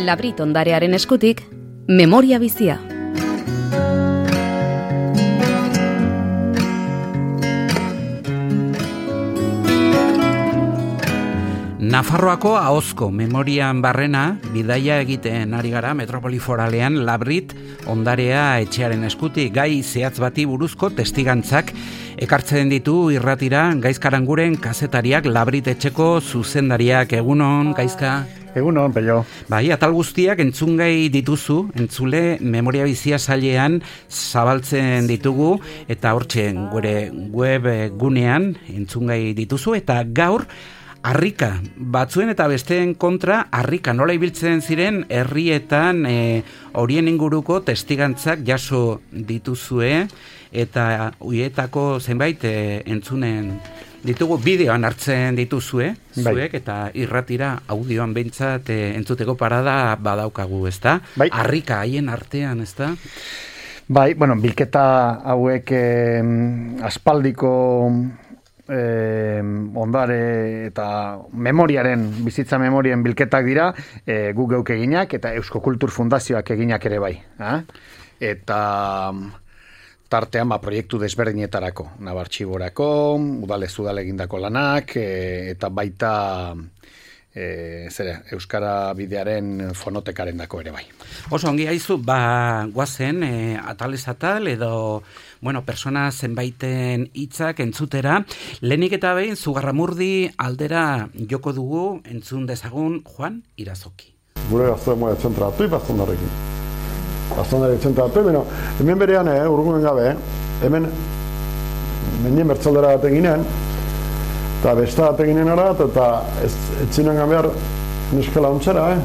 Labrit ondarearen eskutik, memoria bizia. Nafarroako ahozko memorian barrena bidaia egiten ari gara metropoli foralean Labrit ondarea etxearen eskutik gai zehatz bati buruzko testigantzak ekartzen ditu irratira Gaizkaranguren kazetariak Labrit etxeko zuzendariak. Egunon, Gaizka? Egunon, Pello. Bai, atal guztiak entzungai dituzu, entzule memoria bizia sailean zabaltzen ditugu eta hortxe gure web gunean entzungai dituzu eta gaur harrika, batzuen eta besteen kontra harrika nola ibiltzen ziren herrietan horien inguruko testigantzak jaso dituzue eta huietako zenbait entzunen ditugu bideoan hartzen dituzue, zuek eta irratira audioan behintzat entzuteko parada badaukagu, ezta? Bai. Harrika haien artean, ezta? Bai, bueno, bilketa hauek aspaldiko ondare eta bizitza memorien bilketak dira, guk geuk eginak eta Eusko Kultur Fundazioak eginak ere bai. Eta tartean proiektu desberdinetarako, Nabartxiborako, udale egindako lanak, eta baita Euskara bidearen fonotekaren dako ere bai. Oso ongi haizu, guazen atalez atal edo persona zenbaiten hitzak entzutera. Lehenik eta behin, Zugarramurdi aldera joko dugu entzun dezagun Juan Irazoki. Gure gaztoa zentratu, bazondarekin. Bazondare zentratu, hemen berean, urgunen gabe, hemen nien bertzaldera bat eginen, eta besta bat eginen ara, eta etzinen gabear neskela ontsera,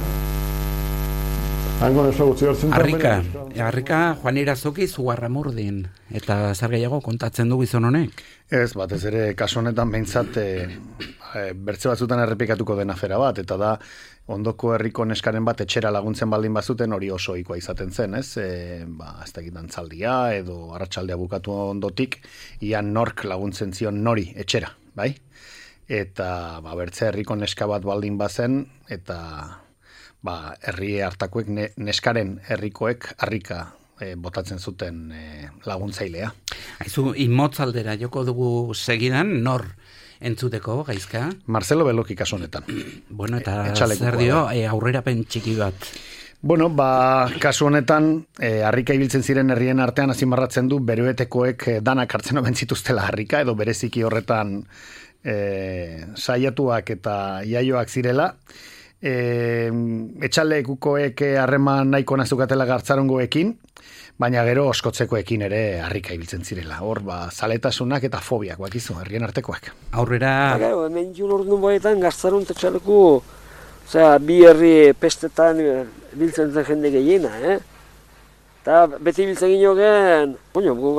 Hango neso gutzi hortzen. Harrika Juan Irazoki Zugarramurdin, eta zer gehiago kontatzen du gizon honek? Ez, batez ere, kasu honetan behintzat bertze batzutan errepikatuko den afera bat, eta da, ondoko herriko neskaren bat etxera laguntzen baldin bazuten hori oso ohikoa izaten zen, ez? Ez da egiten dantzaldia edo arratsaldea bukatu ondotik, ia nork laguntzen zion nori etxera, bai? Eta bertze herriko neska bat baldin bazen, eta herri hartakoek neskaren herrikoek harrika botatzen zuten laguntzailea. Aizu, inmotzaldera joko dugu segidan, nor entzuteko, Gaizka? Marcelo Beloki kasu honetan. Bueno, eta zer dio, aurrerapen txiki bat? Bueno, kasu honetan, harrika ibiltzen ziren herrien artean azimarratzen du beroetekoek danak hartzen omen zituztela harrika, edo bereziki horretan saiatuak eta iaioak zirela. Etxalekukoek harreman nahiko nazukatela gartzarongoekin, baina gero oskotzekoekin ere harrika ibiltzen zirela. Hor, zaletasunak eta fobiak, bakizu, herrien artekoak. Aurrera... Hemen jun orduan boetan gartzaron etxaleku, bi herri pestetan biltzen zen jende gehiena, Eta beti biltzen gino gen,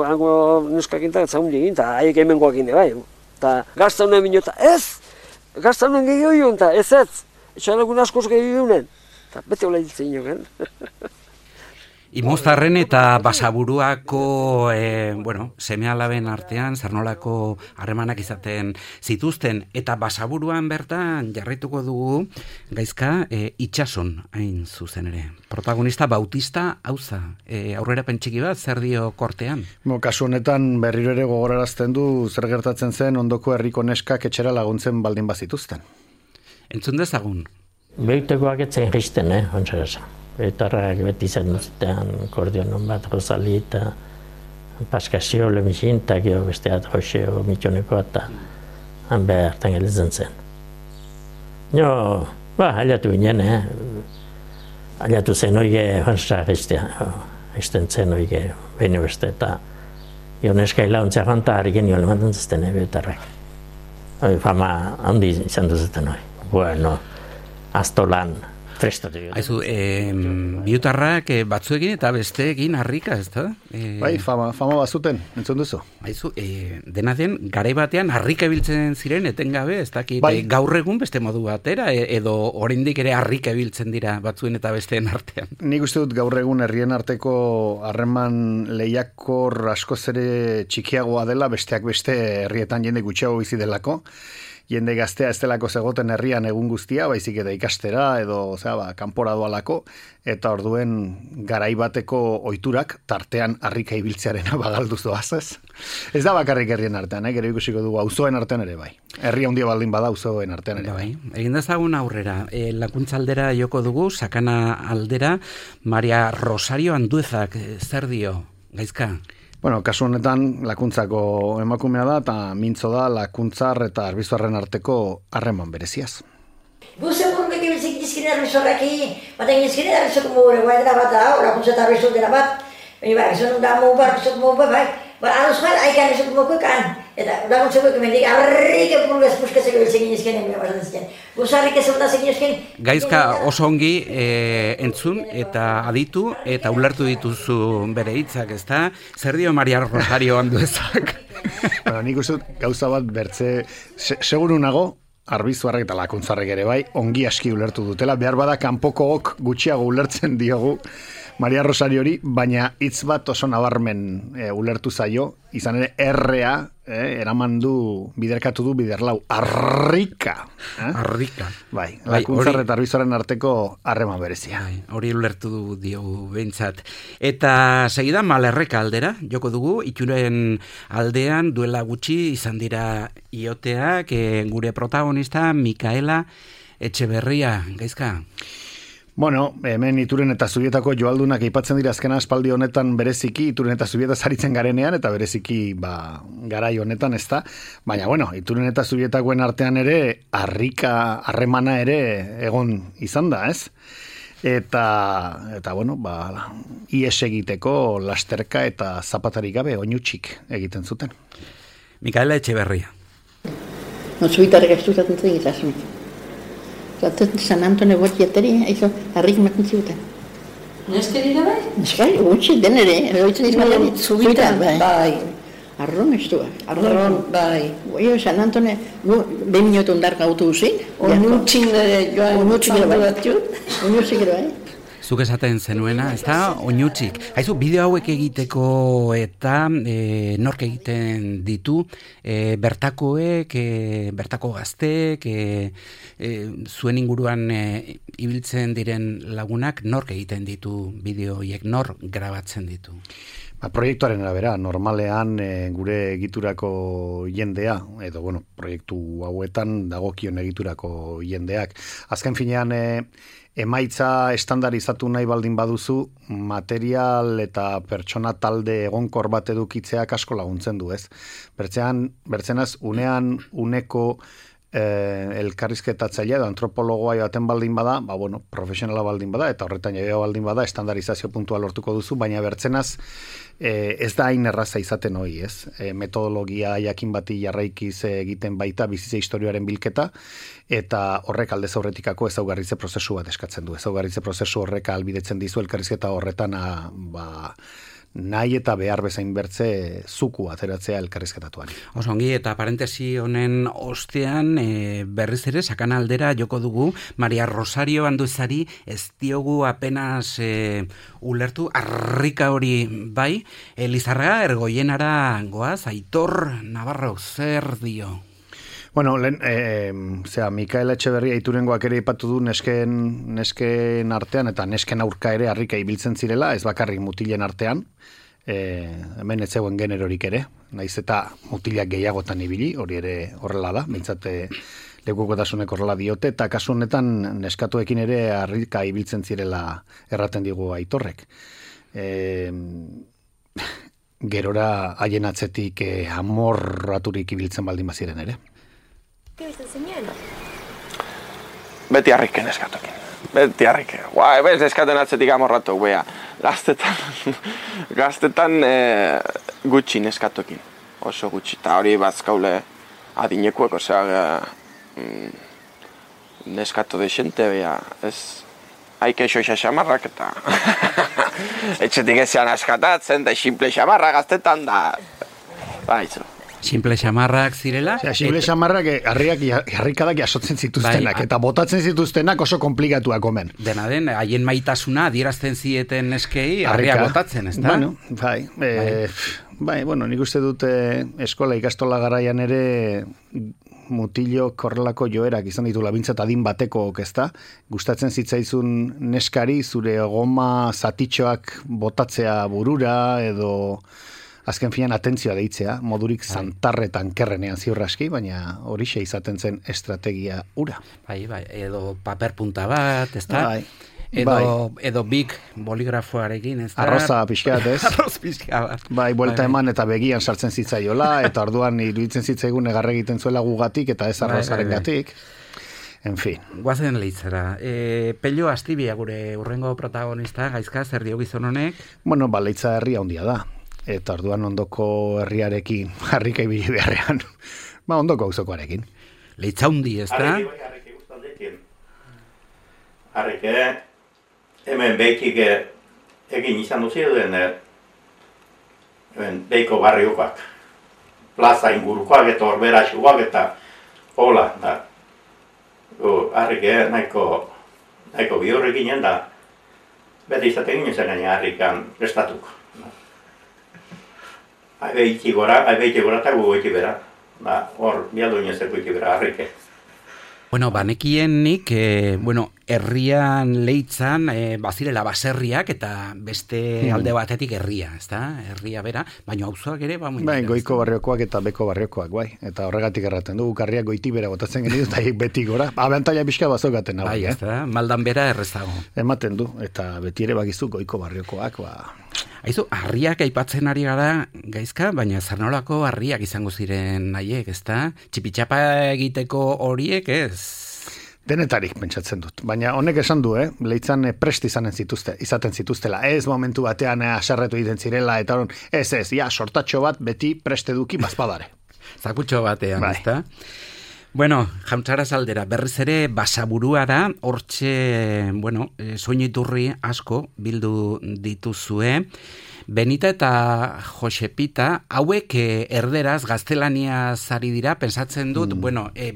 hango neskakintak zaundi egin, eta haiek hemengoak bai. Eta gartzaronen binota, gartzaronen gehiago eta ez. Etxalegun askoz gehiagunen, eta bete hola hiltzen joan. Imoztarren eta Basaburuako seme-alaben artean zernolako harremanak izaten zituzten, eta Basaburuan bertan jarraituko dugu Gaizka itsason hain zuzen ere. Protagonista Bautista Auza, aurrerapen txiki bat zer dio kortean? Kasu honetan berriro ere gogorarazten du zer gertatzen zen ondoko herriko neskak etxera laguntzen baldin bazituzten. Entzun dezagun. Beitekoak etzen jisten, ontzera. Beitarrak beti zen duztean kordionon bat, Rosali eta Paskazio, Lemixin, eta gero besteat Joseo, Mitxoneko eta han behartan gelitzen zen. Aliatu ginen, aliatu zen oige ontzera jisten zen oige behin beste eta Ioneska hilauntzea janta harriken joan ematen zuten, beitarrak. Fama handi izan duzuten hori. Astolan, trestotik. Aizu, biutarrak batzuekin eta besteekin harrika, ez da? Bai, fama bazuten, entzun duzu. Aizu, dena den, garai batean harrika biltzen ziren etengabe, ez dakit, gaur egun beste modu batera, edo oraindik ere harrika biltzen dira batzuen eta besteen artean. Nik uste dut gaur egun herrien arteko harreman lehiakor askoz ere txikiagoa dela, besteak beste herrietan jende gutxiago bizi delako, jende gaztea ez delako zegoten herrian egun guztia, baizik eta ikastera edo kanpora doalako, eta orduen garai bateko ohiturak tartean harrika ibiltzearena bagalduz doaz, ez? Ez da bakarrik herrien artean, gero ikusiko dugu auzoen artean ere bai. Herri handia baldin bada auzoen artean ere bai. Egin dezagun aurrera, Lakuntza aldera joko dugu, Sakana aldera, Maria Rosario Anduezak zer dio, Gaizka? Bueno, kasu honetan Lakuntzako emakumea da, eta mintzo da Lakuntzar eta Arbizorren arteko harreman bereziaz. Gu segun beti bilzik dizkine Arbizorraki, baten dizkine Arbizorko mugure guaitera bat da, Lakuntza eta Arbizor dira bat, baina zon da mugu bat, Arbizorko mugu bat, bai, aduz bat, haikan esok mugu kan, eta Lakuntzako emendik, arrik epulgaz puskazeko bilzik dizkine, baina dizkine. Guzarrik ez da zekin dizkine. Gaizka oso ongi entzun eta aditu eta ulertu dituzu bere hitzak, ezta? Zer dio Maria Rosario Anduezak? Bueno, nik uste gauza bat bertze, seguru nago, Arbizuarrek eta Lakuntzarrek ere bai, ongi aski ulertu dutela, behar bada kanpokook gutxiago ulertzen diogu Maria Rosariori, baina hitz bat oso nabarmen ulertu zaio, izan ere errea, eraman du, biderkatu du biderlau, arrika. Arrika. Bai, Lakuntzar eta Arbizuaren arteko harreman berezia. Hori ulertu diogu behintzat. Eta segidan Malerreka aldera, joko dugu, Itxuren aldean duela gutxi izan dira ioteak, gure protagonista Mikaela Etxeberria, Gaizka? Bueno, hemen Ituren eta Zubietako joaldunak aipatzen dira azkena espaldi honetan bereziki, Ituren eta Zubieta zaritzen garenean, eta bereziki garai honetan ez da. Baina, bueno, Ituren eta Zubietakoen artean ere, harremana ere egon izan da, ez? Eta bueno, ies egiteko lasterka eta zapatarik gabe oinutxik egiten zuten. Mikaela Etxeberria. No, Zubitarrek ez duzaten zen izazun. Zaten San Antone bortiateri, aizo, harrik maten ziuten. Neskeri da bai? Neskai, gutxi, denere, eroitzen izan Zubitan, bai. Arron ez du, Arron, bai. Goio, San Antone, behin minutu ondar gautu uzin. Onutxin joan zandu batzu. Onutxik ere bai. Zuk esaten zenuena, ez da, oinutxik. Haizu, bideo hauek egiteko eta nork egiten ditu, bertakoek, bertako gaztek, zuen inguruan ibiltzen diren lagunak, nork egiten ditu bideo horiek, nork grabatzen ditu? Proiektuaren arabera, normalean gure egiturako jendea, edo, bueno, proiektu hauetan dagokion egiturako jendeak. Azken finean, emaitza estandarizatu nahi baldin baduzu, material eta pertsona talde egonkor bat edukitzeak asko laguntzen du, ez? Bertzenaz, unean uneko elkarrizketatzailea edo antropologoa baten baldin bada, bueno, profesionala baldin bada, eta horretan jaia baldin bada, estandarizazio puntua lortuko duzu, baina bertzenaz ez da hain erraza izaten hori, ez? Metodologia jakin bati jarraikiz egiten baita bizitza historioaren bilketa, eta horrek aldez aurretikako ezaugarritze prozesu bat eskatzen du. Ezaugarritze prozesu horrek ahalbidetzen dizu elkarrizketa horretan nahi eta behar bezain bertze zuku ateratzea elkarrizketatuari. Oso ongi, eta parentesi honen ostean berriz ere Sakana aldera joko dugu Maria Rosario Anduezari ez diogu apenas ulertu, harrika hori bai, Lizarraga Ergoienara goaz, Aitor Navarro zer dio? Bueno, Mikaela Etxeberria Iturengoak ere ipatu du nesken artean eta nesken aurka ere harrika ibiltzen zirela, ez bakarrik mutilen artean, hemen ez zegoen generorik ere, naiz eta mutilak gehiagotan ibili, hori ere horrela da, behintzat lekukotasunek horrela diote, eta kasu honetan neskatuekin ere harrika ibiltzen zirela erraten digu Aitorrek. Gerora haien atzetik amorraturik ibiltzen baldin baziren ere. Beti harriken eskatokin. Beti harriken. Ez eskaten atzetik amorratu, bea. Gaztetan gutxi neskatokin. Oso gutxi. Eta hori bazkaule adinekuek, osea, neskato desente, bea. Ez, haike xoixa xamarrak eta etxetik ezean askatatzen, da simple xamarra gaztetan da. Baizu. Simple xamarrak zirela? Simple xamarrak harrikadak jasotzen zituztenak, eta botatzen zituztenak oso komplikatuak omen. Dena den, haien maitasuna adierazten zieten eskei, harria botatzen, ez da? Bueno, bai, bueno, nik uste dut eskola ikastola garaian ere mutilok horrelako joerak izan ditu labintzat adin bateko ezta, gustatzen zitzaizun neskari zure goma zatitxoak botatzea burura edo azken finean atentzioa deitzea, modurik zantarretan kerrenean ziurraski, baina horixe izaten zen estrategia ura. Bai, edo paper punta bat, ezta? Bai. Edo big boligrafoarekin, ez da? Arroza pixkat, ez? Arroz pixka bat. Bai, buelta eman eta begian sartzen zitzaiola, eta orduan iruditzen zitzaigun egarra egiten zuela gugatik eta ez arrozaren gatik. En fin. Guazen leitzera. Pello Astibia gure urrengo protagonista, gaizka, zer dio gizon honek? Bueno, Leitza herria handia da. Eta orduan ondoko herriarekin harrika ibili beharrean. Ondoko auzokoarekin. Leitza handi, ez da? Harrike guztaldekin. Harrike, hemen behikik egin izan duzien behiko barriokoak. Plaza ingurukoak eta orberasuak eta hola, da. Harrike nahiko bihurrik ginen da, beti izaten ginen zen gaina harrikan prestatuko. Aibeiti gora eta gugoiti bera. Hor, bialdu inezeko iti bera harrike. Bueno, banekien nik, herrian Leitzan bazirela baserriak eta beste alde batetik herria, ezta? Herria bera, baina auzoak ere goiko barriokoak eta beko barriokoak, bai. Eta horregatik erraten dugu, karriak goiti bera botatzen genitu, eta beti gora. Abantaila pixka bazokaten hau. Bai, ezta? Maldan bera errezago. Ematen du, eta beti ere bakizu goiko barriokoak, Aizu, harriak aipatzen ari gara gaizka, baina zernolako harriak izango ziren nahiek, ezta? Txipitxapa egiteko horiek, ez? Denetarik pentsatzen dut. Baina honek esan du, Leitzan prest izaten zituztela. Ez momentu batean aserretu egiten zirela, eta ez, sortatxo bat beti prest eduki bazpadare. Zakutxo batean, ezta? Bueno, jauntzara aldera, berriz ere basaburua da, hortxe, soiniturri asko bildu dituzue. Benita eta Josepita, hauek erderaz, gaztelaniaz ari dira, pensatzen dut,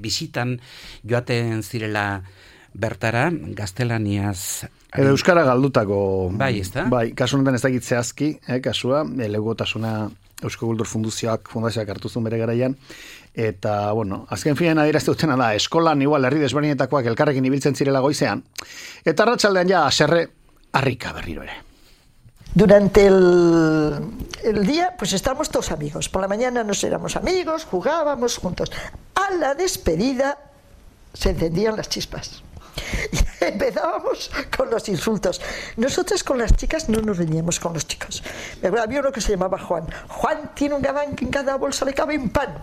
bisitan joaten zirela bertara, gaztelaniaz. Edo euskara galdutako. Bai, ez da? Bai, kasu honetan ez dakit zehazki, kasua, legotasuna Eusko Kultur Fundazioak hartu zuen bere garaian, eta, azken finean adierazte dutena da, eskolan igual herri desberdinetakoak elkarrekin ibiltzen zirela goizean, eta arratsaldean ja haserre harrika berriro ere. Durante el día, pues estábamos todos amigos. Por la mañana nos éramos amigos, jugábamos juntos. A la despedida se encendían las chispas. Y empezábamos con los insultos. Nosotras con las chicas no nos veníamos con los chicos. Había uno que se llamaba Juan. Juan tiene un gabán que en cada bolsa le cabe un pan.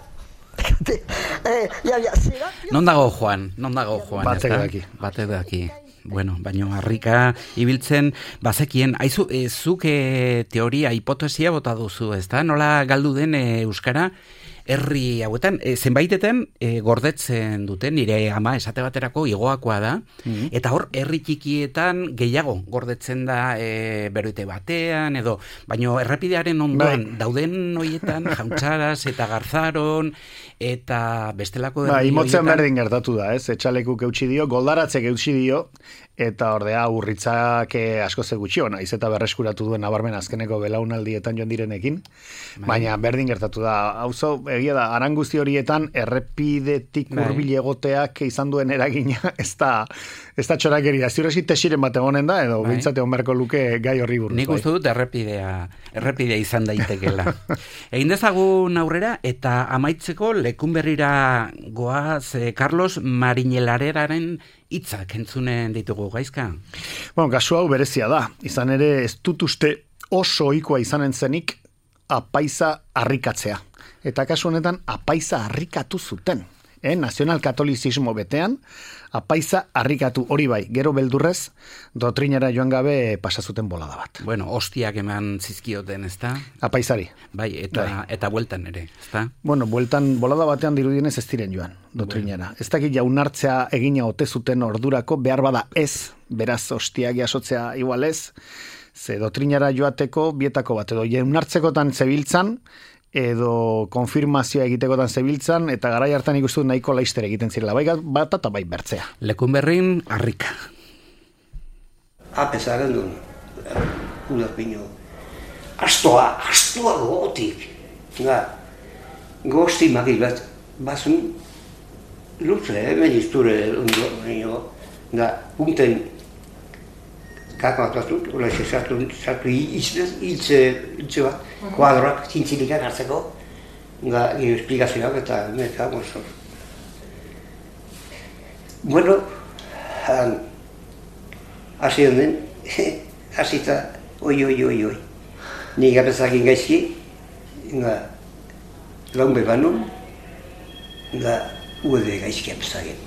Non dago Juan? Batek daki. Baino harrika ibiltzen bazekien, aizu, zuk teoria, hipotesia bota duzu, ezta? Nola galdu den euskara herri hauetan, zenbaitetan gordetzen duten, nire ama esate baterako igoakoa da, eta hor herri txikietan gehiago gordetzen da beroite batean, edo, baino errepidearen ondoan dauden horietan, Jauntzaraz eta Garzaron, eta bestelako herri horietan. Imotzen berdin gertatu da, etxalekuk eutxi dio, goldaratzek eutxi dio, eta ordea urritzak asko ze gutxi ona, iz eta berreskuratu duen nabarmen azkeneko belaunaldietan joan direnekin, baina berdin gertatu da. Auzo, egia da, aranguzti horietan errepidetik hurbil egoteak izan duen eragina, ez da txorakeria. Ziurresi tesiren bat egonen da, edo bintzate onberko luke gai horri buruz. Nik uste dut errepidea izan daitekela. Egin dezagun aurrera, eta amaitzeko Lekunberrira goaz Carlos Mariñelareraren hitzak entzunen ditugu gaizka? Kasu hau berezia da. Izan ere ez dut uste oso ohikoa izanen zenik apaiza harrikatzea. Eta kasu honetan apaiza harrikatu zuten. Nazional-katolizismo betean, apaiza harrikatu hori bai, gero beldurrez, doktrinara joan gabe pasazuten bolada bat. Hostiak eman zizkioten, ezta? Apaizari. Bai, eta bueltan ere, ezta? Bueltan bolada batean dirudienez ez diren joan, doktrinara. Ez dakit jaunartzea egina ote zuten ordurako, behar bada ez, beraz hostiak jasotzea igual ez, ze doktrinara joateko bietako bat, edo jaunartzekotan zebiltzan, edo konfirmazioa egitekotan zebiltzan, eta garai hartan ikustu nahiko laister egiten zirela, bai bat eta bai bertzea. Lekunberrin harrika. Apesaren duen, ulerpino, astoa gogotik, gosti magil bat, bazun, luze, hemen izture ondo, da, punten kakoak batut, hola sartu hiltze bat, kuadroak zintzilikan hartzeko, da, esplikazioak eta meka, mozo. Bueno, hasi honen, hasita, oi. Ni gabezakin gaizki, da, laun bebanun, da, uede gaizki apezagen.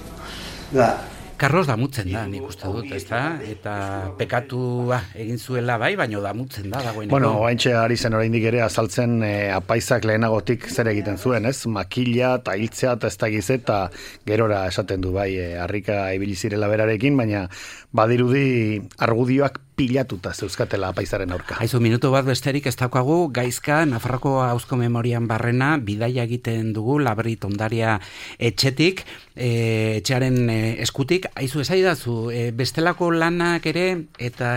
Da, Carlos damutzen da, nik uste dut, ezta? Eta pekatua egin zuela bai, baino damutzen da dagoeneko. Bueno, oaintxe ari zen oraindik ere azaltzen apaisak lehenagotik zer egiten zuen, ez? Makila eta hiltzea eta ez da gize eta gerora esaten du bai, harrika ibili zirela berarekin, baina badirudi argudioak pilatuta zeuzkatela apaizaren aurka. Aizu, minutu bat besterik ez daukagu, Gaizka, Nafarroko Auzko Memorian barrena, bidaia egiten dugu, Labrit ondaria etxetik, etxearen eskutik. Aizu, esaidazu, bestelako lanak ere, eta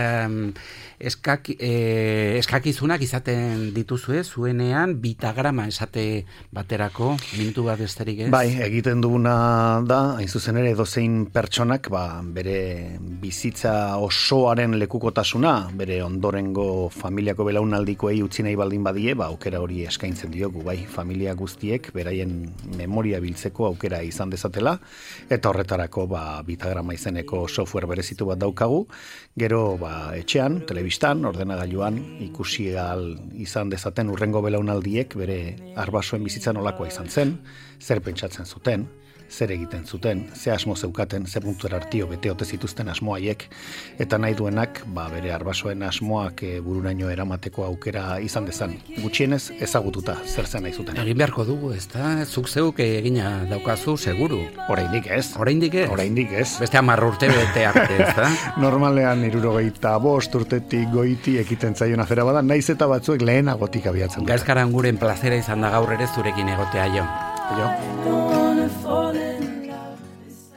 eskakizunak izaten dituzue, zuenean, bitagrama esate baterako, minutu bat besterik ez? Bai, egiten duguna da, hain zuzen ere, edozein pertsonak, bere bizitza osoaren lekukotasuna, bere ondorengo familiako belaunaldikoei utzi nahi baldin badie, aukera hori eskaintzen diogu, bai, familia guztiek, beraien memoria biltzeko aukera izan dezatela, eta horretarako, bitagrama izeneko software berezitu bat daukagu, gero, etxean, telebistan, ordenagailuan, ikusi izan dezaten urrengo belaunaldiek, bere arbasoen bizitza nolakoa izan zen, zer pentsatzen zuten, zer egiten zuten, ze asmo zeukaten, ze puntuera artio bete ote zituzten asmoaiek, eta nahi duenak, bere arbasoen asmoak bururaino eramateko aukera izan dezan. Gutxienez ezagututa zer zen nahi zuten. Egin beharko dugu, ez da? Zuk zeuk egina daukazu, seguru. Oraindik ez. Oraindik ez? Oraindik ez. Beste 10 urte bete arte, ez da? Normalean 65 urtetik goiti ekiten zaion afera bada, naiz eta batzuek lehenagotik abiatzen dute. Gaizkaran guren plazera izan da gaur ere zurekin egotea jo. Jo.